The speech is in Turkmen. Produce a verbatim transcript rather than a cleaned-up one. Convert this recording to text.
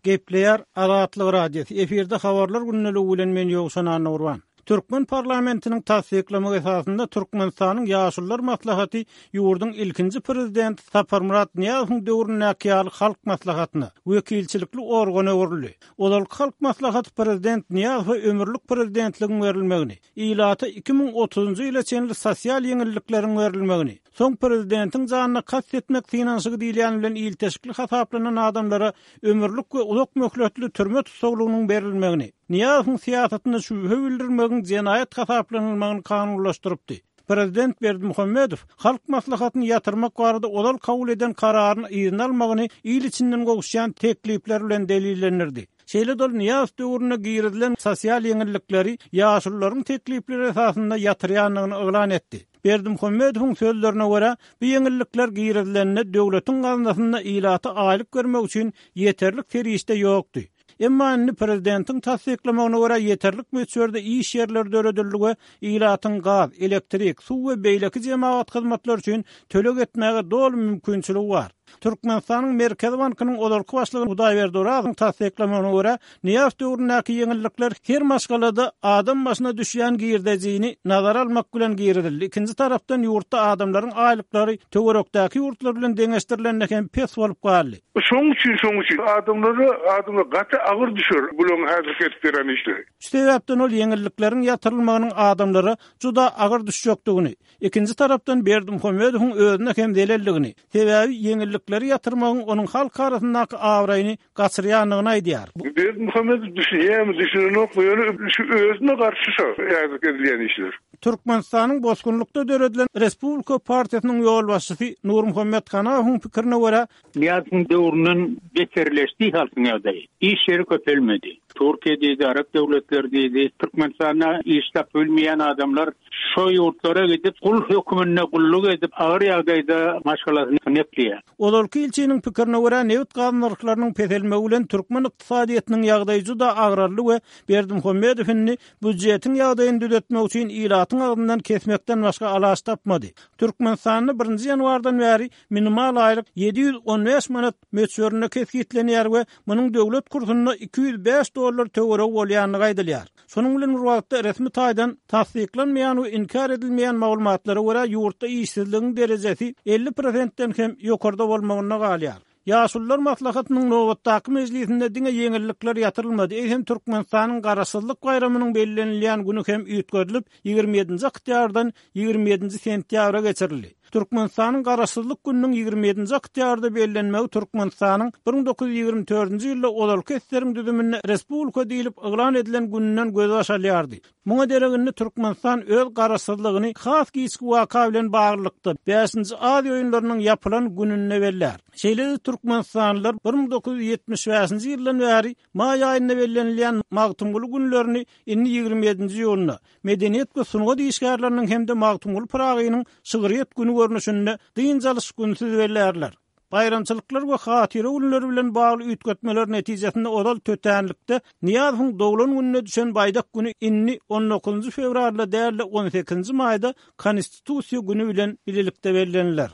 Gepleýär Azatlyk Radiosy. Efirde habarlar gündeligi bilen men Ýowşan Annagurban. Türkmen parlamentiniň tassyklamagy esasynda Türkmenistanyň Ýaşulular maslahaty ýurduň ilkinji prezidenti Saparmyrat Nyýazowyň döwründäki ýaly Halk maslahatyna, wekilçilikli organa öwrüldi. Ozalky Halk maslahaty prezident Nyýazowa ömürlik prezidentligiň berilmegini, ilata iki müň otuzynjy ýyla çenli sosial ýeňillikleriň berilmegini, soň prezidentiň janyna kast etmek synanyşygy diýilýän bilen ilteşikli hasaplanan adamlara ömürlik we uzak möhletli türme tussaglygynyň berilmegini, Nyýazowyň syýasatyna şübhe bildirmegiň jenaýat hasaplanylmagyny kanunlaşdyrypdy. Prezident Berdimuhamedow Halk Maslahatyny ýatyrmak barada ozal kabul eden kararyny yzyna almagyny il içinden gowuşýan teklipler bilen delillendirdi. Şeýle-de ol Nyýazow döwründe girizilen sosial ýeňillikleri ýaşulularyň teklipleri esasynda ýatyrýandygyny yglan etdi. Berdimuhamedowyň sözlerine görä, bu ýeňillikler girizilende döwletiň gaznasynda ilata aýlyk bermek üçin ýeterlik serişde ýokdy. Emma indi prezidentiň tassyklamagyna görä ýeterlik möçberde iş ýerleri döredildi we ilatyň gaz, elektrik, suw we beýleki jemagat hyzmatlary üçin töleg etmäge doly mümkinçiligi bar. Türkmenistanyň Merkezi bankynyň ozalky başlygy Hudaýberdi Orazowyň tassyklamagyna görä, Nyýazow döwründäki ýeňillikler her maşgalada adam başyna düşýän girdejini nazara almak bilen girizildi. Ikinji tarapdan ýurtda adamlaryň aýlyklary töwerekdäki ýurtlar bilen deňeşdirilende hem pes bolup galdy. Şoň üçin, şoň üçin adamlara, adamlara gaty agyr düşer bularyň häzirki edip beren işleri. Şu sebäpden ol ýeňillikleriň ýatyrylmagynyň adamlara juda agyr düşjekdigini, ikinji tarapdan Berdimuhamedowyň özüne hem zelelligini, sebäbi ýeňillikleri ýatyrmagyň onuň halk arasyndaky abraýyny gaçyrýandygyny aýdýar. Berdimuhamedow düşünýärmi, düşünenokmy, ýöne şu özüne garşy şo häzirki edilýän işler. Türkmenistanyň bosgunlykda döredilen Respublika partiýasynyň ýolbaşçysy Nurmuhammet Hanahowyň pikirine görä, Nyýazowyň döwründen beterleşdi halkyň ýagdaýy. Iş ýeri köpelmedi. Türkiýe diýdi, Arap döwletleri diýdi. Türkmenistanda iş tapyp bilmeýän adamlar şo ýurtlara gidip, gul höküminde gulluk edip, agyr ýagdaýda maşgalasyny ekleýär. Ozalky ilçiniň pikirine görä, nebit-gaz nyrhlarynyň peselmegi bilen türkmen ykdysadyýetiniň ýagdaýy juda agraldy we Berdimuhamedow indi býujetiň ýagdaýyny düzetmek üçin ilatyň agzyndan kesmekden başga alaç tapmady. Türkmenistanda birinji ýanwardan bäri minimal aýlyk ýedi ýüz on bäş manat möçberinde kesgitlenýär we munuň döwlet kursunda iki ýüz bäş dollar töweregi bolýandygy aýdylýar. Şonuň bilen bir wagtda resmi taýdan tassyklanmaýan we inkär edilmeýän maglumatlara görä ýurtda işsizligiň derejesi elli prosentden hem ýokarda bolmagynda galýar. Ýaşulular maslahatynyň nobatdaky mejlisinde diňe ýeňillikler ýatyrylmady, eýsem Türkmenistanyň Garaşsyzlyk baýramynyň bellenilýän güni hem üýtgedilip, ýigrimi ýedinji oktýabrdan ýigrimi ýedinji sentýabra geçirildi. Türkmenistanyň Garaşsyzlyk gününiň ýigrimi ýedinji oktýabrda bellenmegi Türkmenistanyň bir müň dokuz ýüz ýigrimi dördünji ýylda ozalky eseriň düzüminde respublika diýlip yglan edilen gününden gözbaş alýardy. Muňa derek indi Türkmenistan öz garaşsyzlygyny has giçki waka bilen baglylykda bäşinji Aziýa oýunlarynyň ýapylan gününde bellär. Şeýle-de türkmenistanlylar bir müň dokuz ýüz ýetmiş bäşinji ýyldan bäri maý aýynda bellenilýän Magtymguly günlerini indi ýigrimi ýedinji iýunda Medeniýet we sungat işgärleriniň hem-de Magtymguly Pyragynyň şygryýet güni görnüşinde dynç alyş günüsiz bellärler. Baýramçylyklar we hatyra günleri bilen bagly üýtgetmeler netijesinde ozal tötänlikde Nyýazowyň doglan gününe düşen baýdak güni indi on dokuzynjy fewralda däl-de on sekizinji maýda Konstitusiýa güni bilen bilelikde belleniler.